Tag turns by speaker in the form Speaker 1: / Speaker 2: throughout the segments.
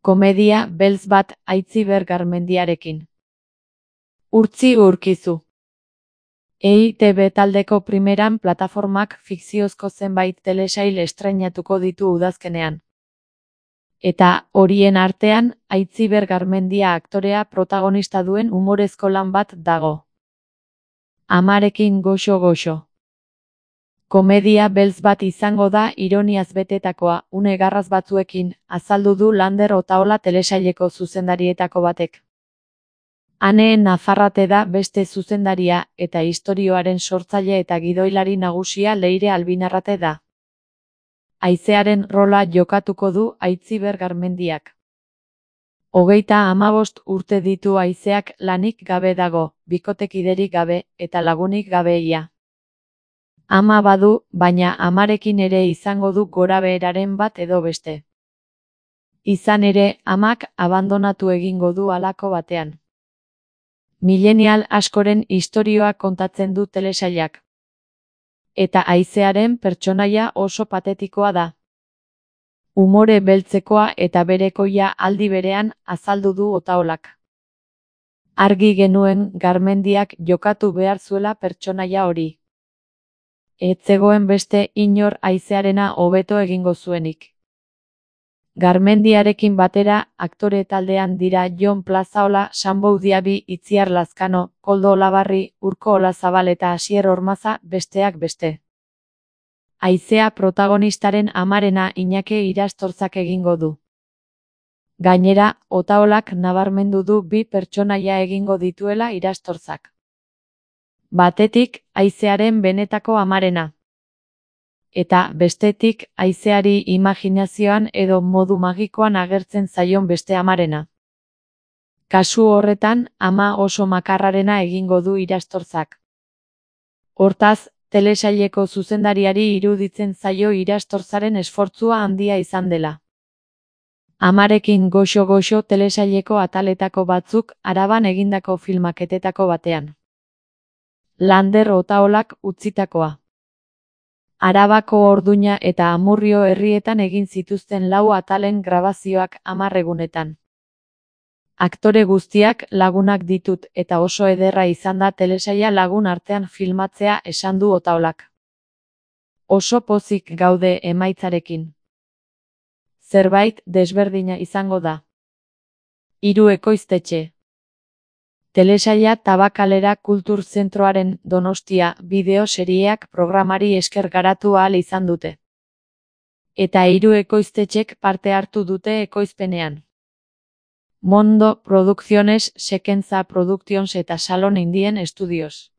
Speaker 1: Komedia beltz bat Aitziber Garmendiarekin. Urtzi urkizu. EITB taldeko primeran plataformak fikziozko zenbait telesail estreinatuko ditu udazkenean. Eta horien artean, Aitziber Garmendia aktorea protagonista duen umorezko lan bat dago. Amarekin goxo-goxo. Komedia beltz bat izango da ironiaz betetakoa, une garraz batzuekin, azaldu du Lander Otaola telesaileko zuzendarietako batek. Ane Nafarrate da beste zuzendaria, eta istorioaren sortzaile eta gidoilari nagusia Leire Albinarrate da. Haizearen rola jokatuko du Aitziber Garmendiak. 35 urte ditu haizeak, lanik gabe dago, bikotekiderik gabe, eta lagunik gabe ia. Ama badu, baina amarekin ere izango du gorabeheraren bat edo beste. Izan ere, amak abandonatu egingo du halako batean. Milenial askoren istorioa kontatzen du telesailak. Eta haizearen pertsonaia oso patetikoa da. Umore beltzekoa eta berekoia aldi berean azaldu du Otaolak. Argi genuen Garmendiak jokatu behar zuela pertsonaia hori. Ez zegoen beste inor haizearena hobeto egingo zuenik. Garmendiarekin batera aktore taldean dira Jon Plazaola, Sanbou Diaby, Itziar Lazkano, Koldo Olabarri, Urko Olazabal eta Asier Ormaza, besteak beste. Haizea protagonistaren amarena Iñake Irastorzak egingo du. Gainera, Otaolak nabarmendu du bi pertsonaia egingo dituela Irastorzak. Batetik, haizearen benetako amarena. Eta, bestetik, haizeari imaginazioan edo modu magikoan agertzen zaion beste amarena. Kasu horretan, ama oso makarrarena egingo du Irastorzak. Hortaz, telesaileko zuzendariari iruditzen zaio Irastorzaren esfortzua handia izan dela. Amarekin goxo-goxo telesaileko ataletako batzuk Araban egindako filmaketetako batean. Lander Otaolak utzitakoa. Arabako Orduña eta Amurrio herrietan egin zituzten 4 atalen grabazioak 10 egunetan. Aktore guztiak lagunak ditut eta oso ederra izan da telesaila lagun artean filmatzea esan du Otaolak. Oso pozik gaude emaitzarekin. Zerbait desberdina izango da. 3 ekoiztetxe. Telesaila Tabakalera Kultur Zentroaren Donostia bideo-serieak programari esker garatu ahal izan dute. Eta 3 ekoiztetxek parte hartu dute ekoizpenean. Mondo Producciones, Sekenza Productions eta Salon Indien Studios.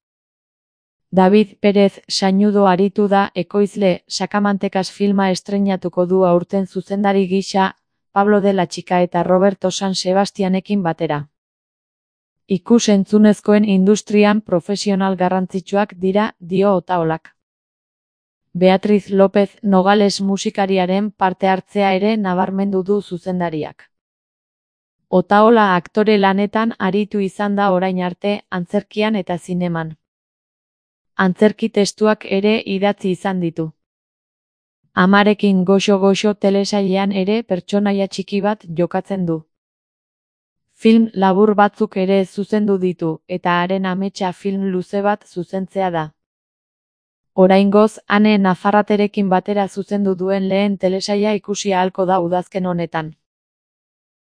Speaker 1: David Pérez Sañudo aritu da ekoizle, Sakamantekas filma estreinatuko du aurten zuzendari gisa, Pablo de la Chica eta Roberto San Sebastianekin batera. Ikus-entzunezkoen industrian profesional garrantzitsuak dira, dio Otaolak. Beatriz López Nogales musikariaren parte hartzea ere nabarmendu du zuzendariak. Otaola aktore lanetan aritu izan da orain arte, antzerkian eta zineman. Antzerki testuak ere idatzi izan ditu. Amarekin goxo-goxo telesailean ere pertsonaia txiki bat jokatzen du. Film labur batzuk ere zuzendu ditu, eta haren ametsa film luze bat zuzentzea da. Oraingoz, Ane Nafarraterekin batera zuzendu duen lehen telesaila ikusi ahalko da udazken honetan.